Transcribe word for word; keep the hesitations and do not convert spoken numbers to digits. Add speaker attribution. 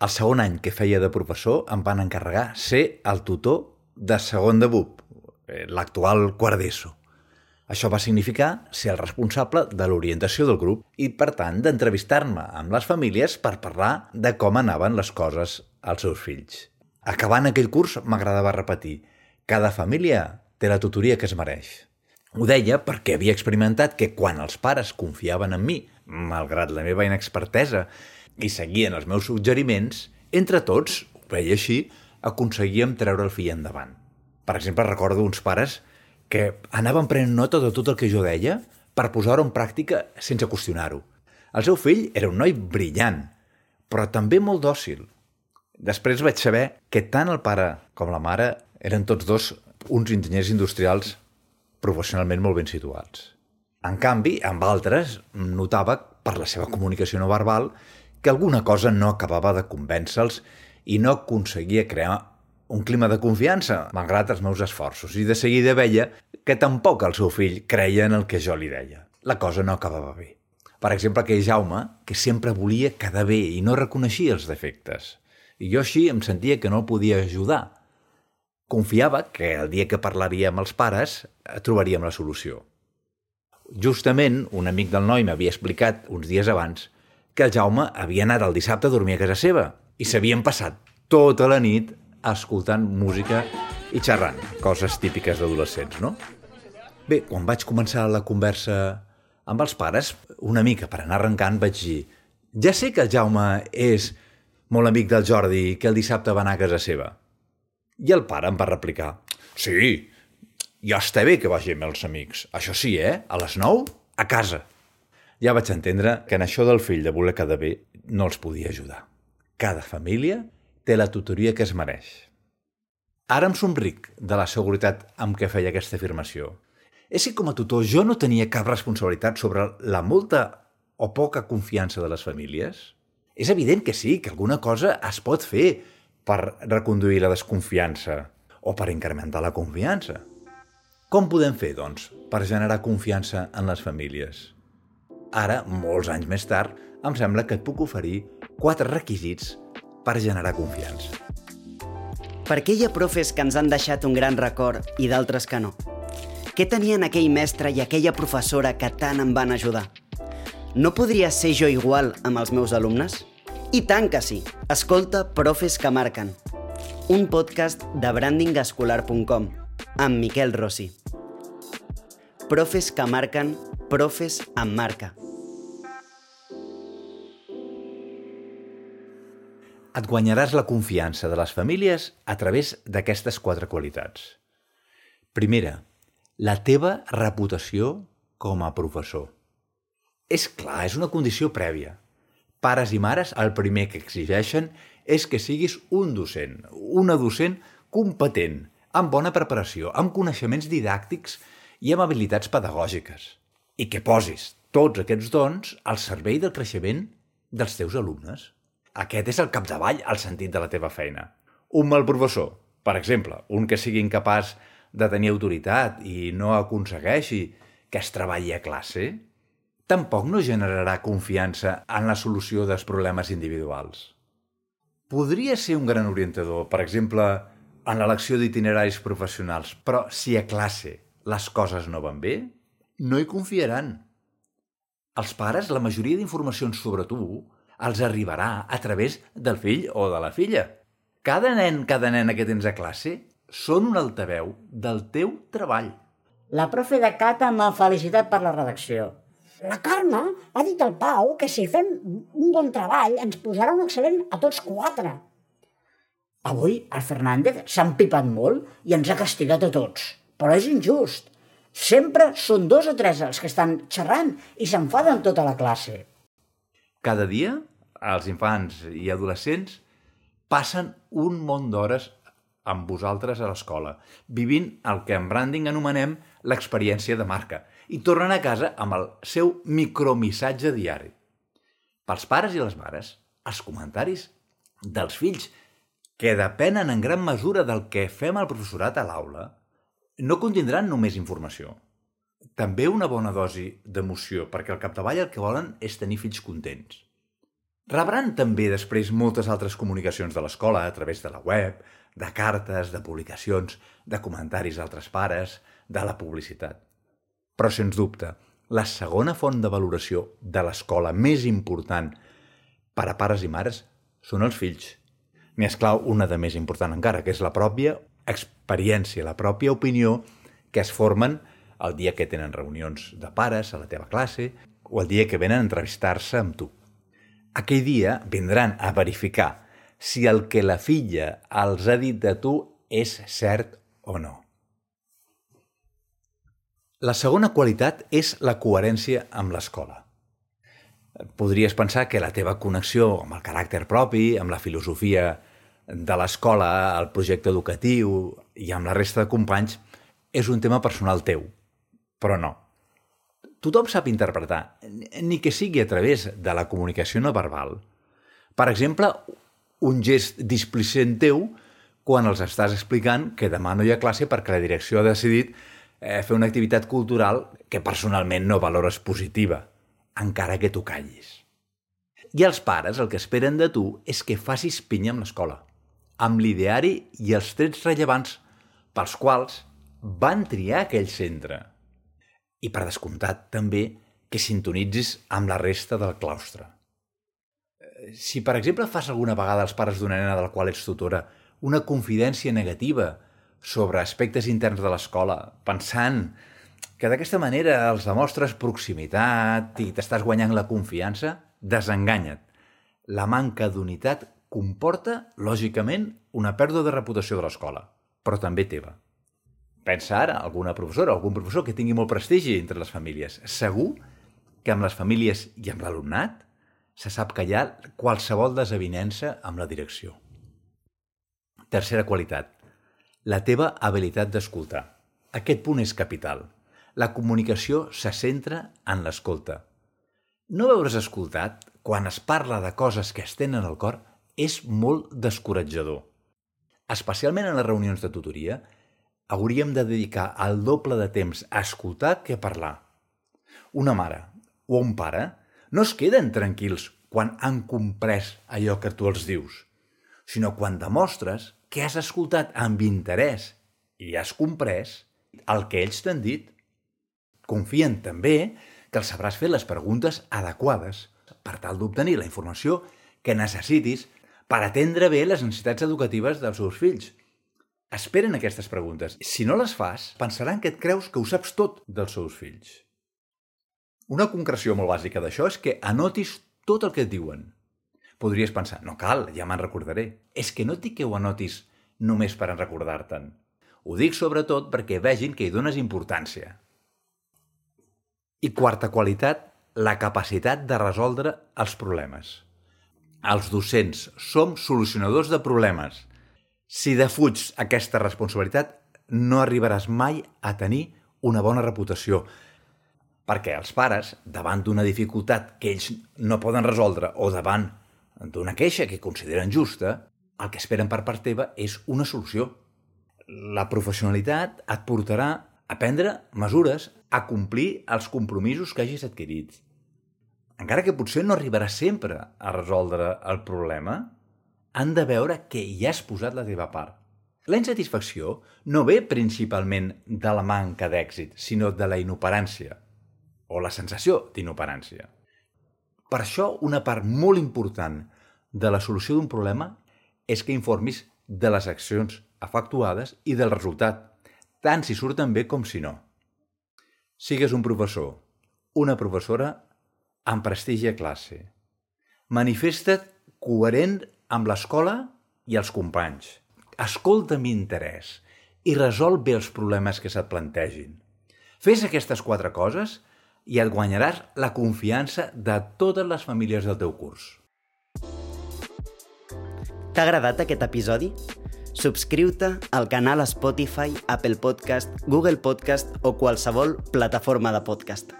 Speaker 1: El segon any que feia de professor em van encarregar ser el tutor de segon de B U P, l'actual quart d'ESO. Això va significar ser el responsable de l'orientació del grup i, per tant, d'entrevistar-me amb les famílies per parlar de com anaven les coses als seus fills. Acabant aquell curs, m'agradava repetir: cada família té la tutoria que es mereix. Ho deia perquè havia experimentat que quan els pares confiaven en mi, malgrat la meva inexpertesa, i seguien els meus suggeriments, entre tots, ho veia així, aconseguíem treure el fill endavant. Per exemple, recordo uns pares que anaven prenent nota de tot el que jo deia per posar-ho en pràctica sense qüestionar-ho. El seu fill era un noi brillant, però també molt dòcil. Després vaig saber que tant el pare com la mare eren tots dos uns enginyers industrials professionalment molt ben situats. En canvi, amb altres, notava, per la seva comunicació no verbal, que alguna cosa no acabava de convèncer-los i no aconseguia crear un clima de confiança, malgrat els meus esforços, i de seguida veia que tampoc el seu fill creia en el que jo li deia. La cosa no acabava bé. Per exemple, aquell Jaume, que sempre volia quedar bé i no reconeixia els defectes. I jo així em sentia que no el podia ajudar. Confiava que el dia que parlaria amb els pares trobaríem la solució. Justament, un amic del noi m'havia explicat uns dies abans que el Jaume havia anat el dissabte a dormir a casa seva i s'havien passat tota la nit escoltant música i xerrant, coses típiques d'adolescents, no? Bé, quan vaig començar la conversa amb els pares, una mica per anar arrencant, vaig dir: ja sé que el Jaume és molt amic del Jordi, que el dissabte va anar a casa seva. I el pare em va replicar: sí, ja està bé que vagi amb els amics. Això sí, eh? A les nou, a casa. Ja vaig entendre que en això del fill de voler quedar bé no els podia ajudar. Cada família té la tutoria que es mereix. Ara em somric de la seguretat amb què feia aquesta afirmació. És que com a tutor jo no tenia cap responsabilitat sobre la molta o poca confiança de les famílies? És evident que sí, que alguna cosa es pot fer per reconduir la desconfiança o per incrementar la confiança. Com podem fer, doncs, per generar confiança en les famílies? Ara, molts anys més tard, em sembla que et puc oferir quatre requisits per generar confiança.
Speaker 2: Per què hi ha profes que ens han deixat un gran record i d'altres que no? Què tenien aquell mestre i aquella professora que tant em van ajudar? No podria ser jo igual amb els meus alumnes? I tant que sí! Escolta Profes que marquen, un podcast de branding escolar punt com, amb Miquel Rossi. Profes que marquen, profes amb marca.
Speaker 1: Et guanyaràs la confiança de les famílies a través d'aquestes quatre qualitats. Primera, la teva reputació com a professor. És clar, és una condició prèvia. Pares i mares, el primer que exigeixen és que siguis un docent, una docent competent, amb bona preparació, amb coneixements didàctics i amb habilitats pedagògiques, i que posis tots aquests dons al servei del creixement dels teus alumnes. Aquest és el capdavall al sentit de la teva feina. Un mal professor, per exemple, un que sigui incapaç de tenir autoritat i no aconsegueixi que es treballi a classe, tampoc no generarà confiança en la solució dels problemes individuals. Podria ser un gran orientador, per exemple, en l'elecció d'itineraris professionals, però si a classe les coses no van bé, no hi confiaran. Els pares, la majoria d'informacions sobre tu els arribarà a través del fill o de la filla. Cada nen, cada nena que tens a classe són un altaveu del teu treball.
Speaker 3: La profe de Cata m'ha felicitat per la redacció. La Carme ha dit al Pau que si fem un bon treball ens posarà un excel·lent a tots quatre. Avui el Fernández s'ha empipat molt i ens ha castigat a tots. Però és injust. Sempre són dos o tres els que estan xerrant i s'enfaden tota la classe.
Speaker 1: Cada dia, els infants i adolescents passen un munt d'hores amb vosaltres a l'escola, vivint el que en branding anomenem l'experiència de marca, i tornen a casa amb el seu micromissatge diari. Pels pares i les mares, els comentaris dels fills, que depenen en gran mesura del que fem al professorat a l'aula, no contindran només informació. També una bona dosi d'emoció, perquè al capdavall el que volen és tenir fills contents. Rebran també després moltes altres comunicacions de l'escola a través de la web, de cartes, de publicacions, de comentaris d'altres pares, de la publicitat. Però, sens dubte, la segona font de valoració de l'escola més important per a pares i mares són els fills. N'hi esclau una de més important encara, que és la pròpia experiència, la pròpia opinió que es formen el dia que tenen reunions de pares a la teva classe o el dia que venen a entrevistar-se amb tu. Aquell dia vindran a verificar si el que la filla els ha dit de tu és cert o no. La segona qualitat és la coherència amb l'escola. Podries pensar que la teva connexió amb el caràcter propi, amb la filosofia de l'escola, el projecte educatiu i amb la resta de companys és un tema personal teu, però no. Tothom sap interpretar, ni que sigui a través de la comunicació no verbal. Per exemple, un gest displicent teu quan els estàs explicant que demà no hi ha classe perquè la direcció ha decidit eh, fer una activitat cultural que personalment no valores positiva, encara que tu callis. I els pares el que esperen de tu és que facis pinya amb l'escola, amb l'ideari i els trets rellevants pels quals van triar aquell centre. I, per descomptat, també que sintonitzis amb la resta del claustre. Si, per exemple, fas alguna vegada als pares d'una nena de la qual ets tutora una confidència negativa sobre aspectes interns de l'escola, pensant que d'aquesta manera els demostres proximitat i t'estàs guanyant la confiança, desenganya't. La manca d'unitat comporta, lògicament, una pèrdua de reputació de l'escola, però també teva. Pensa ara alguna professora o algun professor que tingui molt prestigi entre les famílies. Segur que amb les famílies i amb l'alumnat se sap que hi ha qualsevol desavinença amb la direcció. Tercera qualitat, la teva habilitat d'escoltar. Aquest punt és capital. La comunicació se centra en l'escolta. No veure's escoltat, quan es parla de coses que es tenen al cor, és molt descoratjador. Especialment en les reunions de tutoria, hauríem de dedicar el doble de temps a escoltar que a parlar. Una mare o un pare no es queden tranquils quan han comprès allò que tu els dius, sinó quan demostres que has escoltat amb interès i has comprès el que ells t'han dit. Confien també que els sabràs fer les preguntes adequades per tal d'obtenir la informació que necessitis per atendre bé les necessitats educatives dels seus fills. Esperen aquestes preguntes. Si no les fas, pensaran que et creus que ho saps tot dels seus fills. Una concreció molt bàsica d'això és que anotis tot el que et diuen. Podries pensar, no cal, ja me'n recordaré. És que no et dic que ho anotis només per recordar-te'n. Ho dic sobretot perquè vegin que hi dones importància. I quarta qualitat, la capacitat de resoldre els problemes. Els docents som solucionadors de problemes. Si defuig aquesta responsabilitat, no arribaràs mai a tenir una bona reputació. Perquè els pares, davant d'una dificultat que ells no poden resoldre o davant d'una queixa que consideren justa, el que esperen per part teva és una solució. La professionalitat et portarà a prendre mesures, a complir els compromisos que hagis adquirit. Encara que potser no arribaràs sempre a resoldre el problema, han de veure que hi has posat la teva part. La insatisfacció no ve principalment de la manca d'èxit, sinó de la inoperància, o la sensació d'inoperància. Per això, una part molt important de la solució d'un problema és que informis de les accions efectuades i del resultat, tant si surten bé com si no. Sigues un professor, una professora amb prestigi a classe. Manifesta't coherent amb l'escola i els companys. Escolta amb interès i resol bé els problemes que se't plantegin. Fes aquestes quatre coses i et guanyaràs la confiança de totes les famílies del teu curs.
Speaker 2: T'ha agradat aquest episodi? Subscriu-te al canal Spotify, Apple Podcast, Google Podcast o qualsevol plataforma de podcast.